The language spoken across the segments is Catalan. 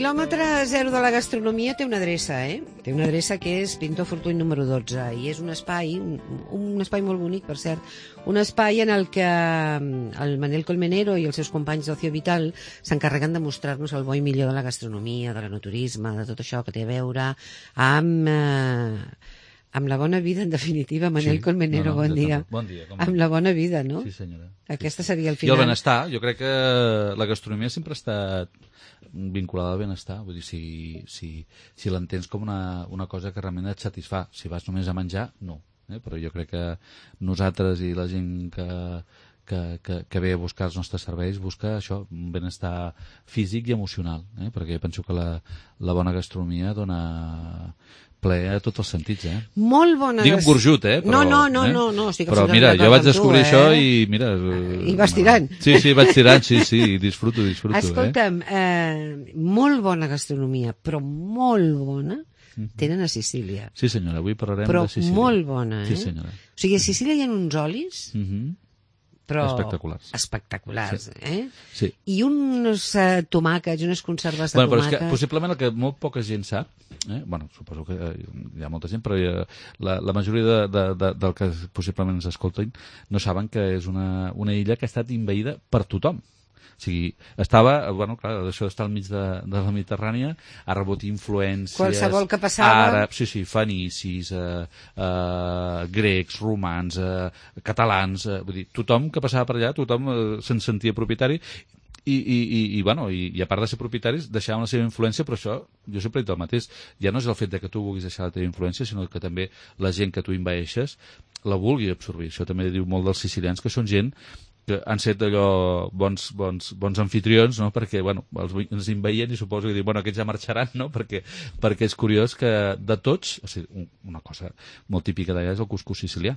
quilòmetre zero de la gastronomia té una adreça, Té una adreça que és Pintor Fortuny número 12 i és un espai molt bonic, per cert, un espai en el que el Manel Colmenero i els seus companys d'Ocio Vital s'encarreguen de mostrar-nos el bo i millor de la gastronomia, de l'enoturisme, de tot això que té a veure amb la bona vida, en definitiva. Manel Colmenero, bon dia. Bon dia. Amb la bona vida, no? Sí, senyora. Aquesta seria el final. I el benestar. Jo crec que la gastronomia sempre ha estat vinculada al benestar. Vull dir, si l'entens com una cosa que realment et satisfà. Si vas només a menjar, no. Però jo crec que nosaltres i la gent que ve a buscar els nostres serveis busca això, un benestar físic i emocional, perquè penso que la bona gastronomia dona ple a tots els sentits, Molt bona... Digue'm burjut, però... No, estic però mira, jo vaig descobrir això i mira... I vas tirant. Sí, vaig tirant, sí, disfruto. Escolta'm, molt bona gastronomia, però molt bona, tenen a Sicília. Sí, senyora, avui parlarem de Sicília. Però molt bona, Sí, senyora. O sigui, a Sicília hi ha uns olis... però espectaculars, Sí. I uns tomàquets, unes conserves de però tomàquet... és que possiblement el que molt poca gent sap, suposo que hi ha molta gent, però la majoria del que possiblement ens escolten no saben que és una illa que ha estat envaïda per tothom. O sigui, estava, clar, això d'estar al mig de la Mediterrània ha rebut influències... Qualsevol que passava... Àrabs, fenicis, grecs, romans, catalans... Vull dir, tothom que passava per allà, tothom se'n sentia propietari i a part de ser propietaris deixaven la seva influència, però això jo sempre he dit el mateix, ja no és el fet de que tu vulguis deixar la teva influència, sinó que també la gent que tu envaeixes la vulgui absorbir. Això també diu molt dels sicilians, que són gent que han set allò bons anfitrions, no? Perquè ens envaïen i suposo que diuen, aquests ja marxaran, no? Perquè és curiós que de tots, o sigui, una cosa molt típica d'allà és el cuscús sicilià,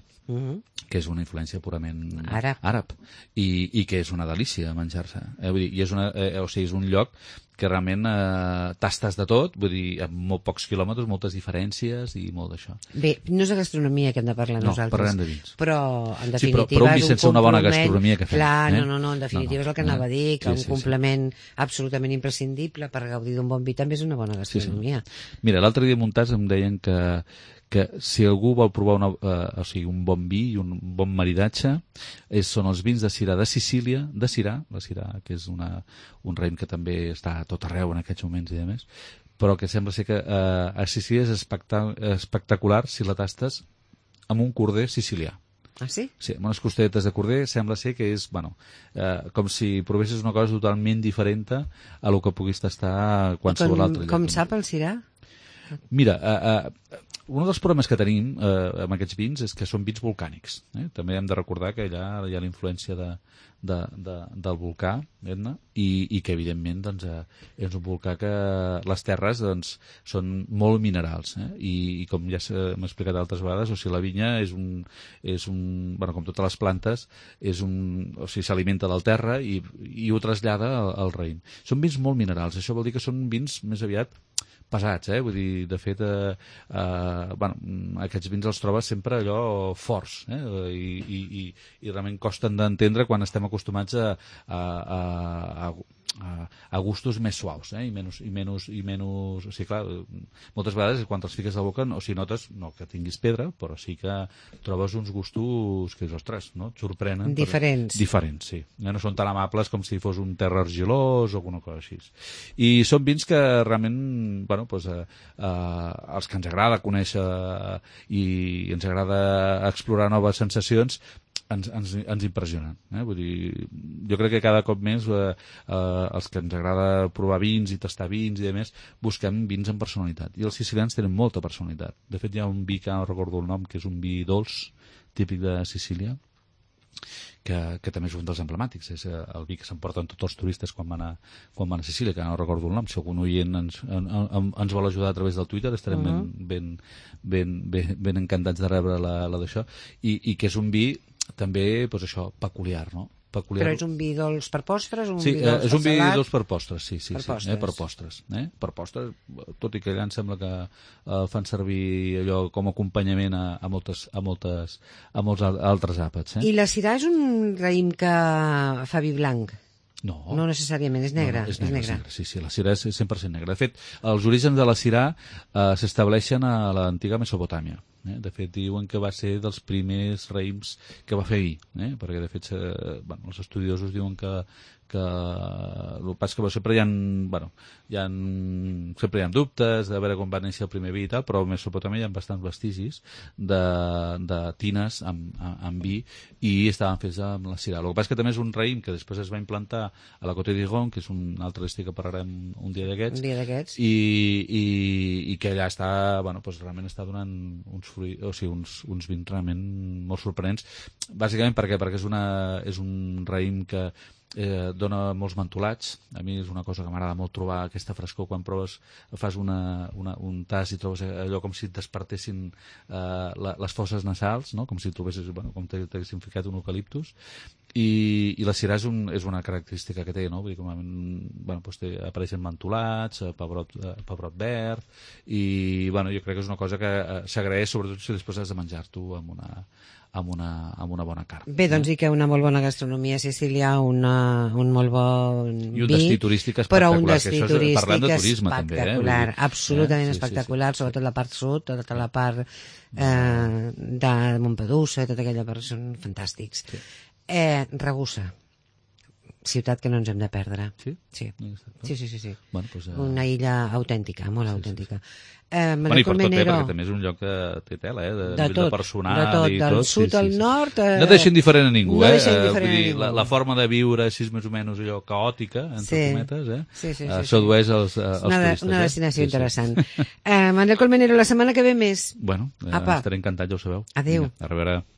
que és una influència purament àrab i que és una delícia menjar-se. Vull dir, és un lloc que realment tastes de tot, vull dir, amb molt pocs quilòmetres, moltes diferències i molt d'això. Bé, no és de gastronomia que hem de parlar nosaltres. No, parlem de vins. Però, en definitiva, però un vi sense una bona gastronomia que fem. Clar, no, en definitiva és el que anava a dir, que un complement absolutament imprescindible per gaudir d'un bon vi també és una bona gastronomia. Mira, l'altre dia muntats em deien que si algú vol provar un bon vi i un bon maridatge són els vins de Syrah de Sicília, la Syrah, que és un raïm que també està a tot arreu en aquests moments i a més, però que sembla ser que a Sicília és espectacular si la tastes amb un corder sicilià. Ah, sí? Sí, amb unes costelletes de corder sembla ser que és, com si provessis una cosa totalment diferent a lo que puguis tastar qualsevol altre lloc. Com sap el Syrah? Mira, un dels problemes que tenim amb aquests vins és que són vins volcànics. També hem de recordar que allà hi ha la influència del volcà Etna i que evidentment és un volcà que les terres són molt minerals i com ja hem explicat altres vegades, o sigui, la vinya és com totes les plantes, o sigui, s'alimenta del terra i ho trasllada al raïm. Són vins molt minerals, això vol dir que són vins més aviat pesats, vull dir, de fet aquests vins els trobes sempre allò forts i realment costen d'entendre quan estem acostumats a gustos més suaus i menys, o sigui, clar, moltes vegades quan te'ls fiques a la boca, o sigui, notes no que tinguis pedra, però sí que trobes uns gustos que, ostres, no? Et sorprenen. Diferents, sí. No són tan amables com si fos un terra argilós o alguna cosa així. I són vins que realment, els que ens agrada conèixer i ens agrada explorar noves sensacions, ens impressionen. Vull dir, jo crec que cada cop més els que ens agrada provar vins i tastar vins i demés, busquem vins amb personalitat. I els sicilians tenen molta personalitat. De fet, hi ha un vi que no recordo el nom, que és un vi dolç, típic de Sicília, que també és un dels emblemàtics. És el vi que s'emporten tots els turistes quan van a Sicília, que no recordo el nom. Si algun oient ens vol ajudar a través del Twitter, estarem ben encantats de rebre la d'això. I que és un vi també, peculiar, no? Però és un vi dolç per postres? Sí, és un vi dolç per postres, sí. Per postres, tot i que allà em sembla que fan servir allò com a acompanyament a molts altres àpats. I la Syrah és un raïm que fa vi blanc? No necessàriament, és negra. No, és negra. Sí, la Sirà és 100% negra. De fet, els orígens de la Sirà s'estableixen a l'antiga Mesopotàmia. De fet, diuen que va ser dels primers raïms que va fer vi, perquè de fet els estudiosos diuen que el que passa que sempre sempre hi ha dubtes de veure com va néixer el primer vi i tal, però a Mesopotàmia hi ha bastants vestigis de tines amb vi i estaven fets amb la Sirà. El que passa que també és un raïm que després es va implantar a la Côte d'Igon, que és un altre estil que parlarem un dia d'aquests, i que allà està, realment està donant uns vins realment molt sorprenents. Bàsicament perquè és un raïm que dona molts mentolats. A mi és una cosa que m'agrada molt trobar aquesta frescor quan fas un tas i trobes allò com si et despertessin les fosses nasals, no? Com si trobessis, com t'haguessin ficat un eucaliptus. I la Sirà és una característica que té, no? Vull dir, apareixen mentolats, pebrot verd, i jo crec que és una cosa que s'agraeix, sobretot si després has de menjar-t'ho amb una bona carn. Bé, doncs i que una molt bona gastronomia a Sicília, un molt bon vi, i un destí turístic espectacular, però un destí turístic parlant de turisme espectacular, també, absolutament espectacular, sobretot la part sud, tota la part de Montpedusa, tota aquella part són fantàstics. Ragusa, ciutat que no ens hem de perdre. Sí? Sí. Bueno, pues, una illa autèntica, molt autèntica. I per tot bé, perquè també és un lloc que té tela, de personal i tot. Del sud al nord... No deixen diferent a ningú, no deixen diferent a ningú. La forma de viure així més o menys allò caòtica, entre cometes, sí. sedueix els turistes. Una destinació interessant. Manel Colmenero, la setmana que ve més. Bueno, estaré encantat, ja ho sabeu. Adéu. A reveure.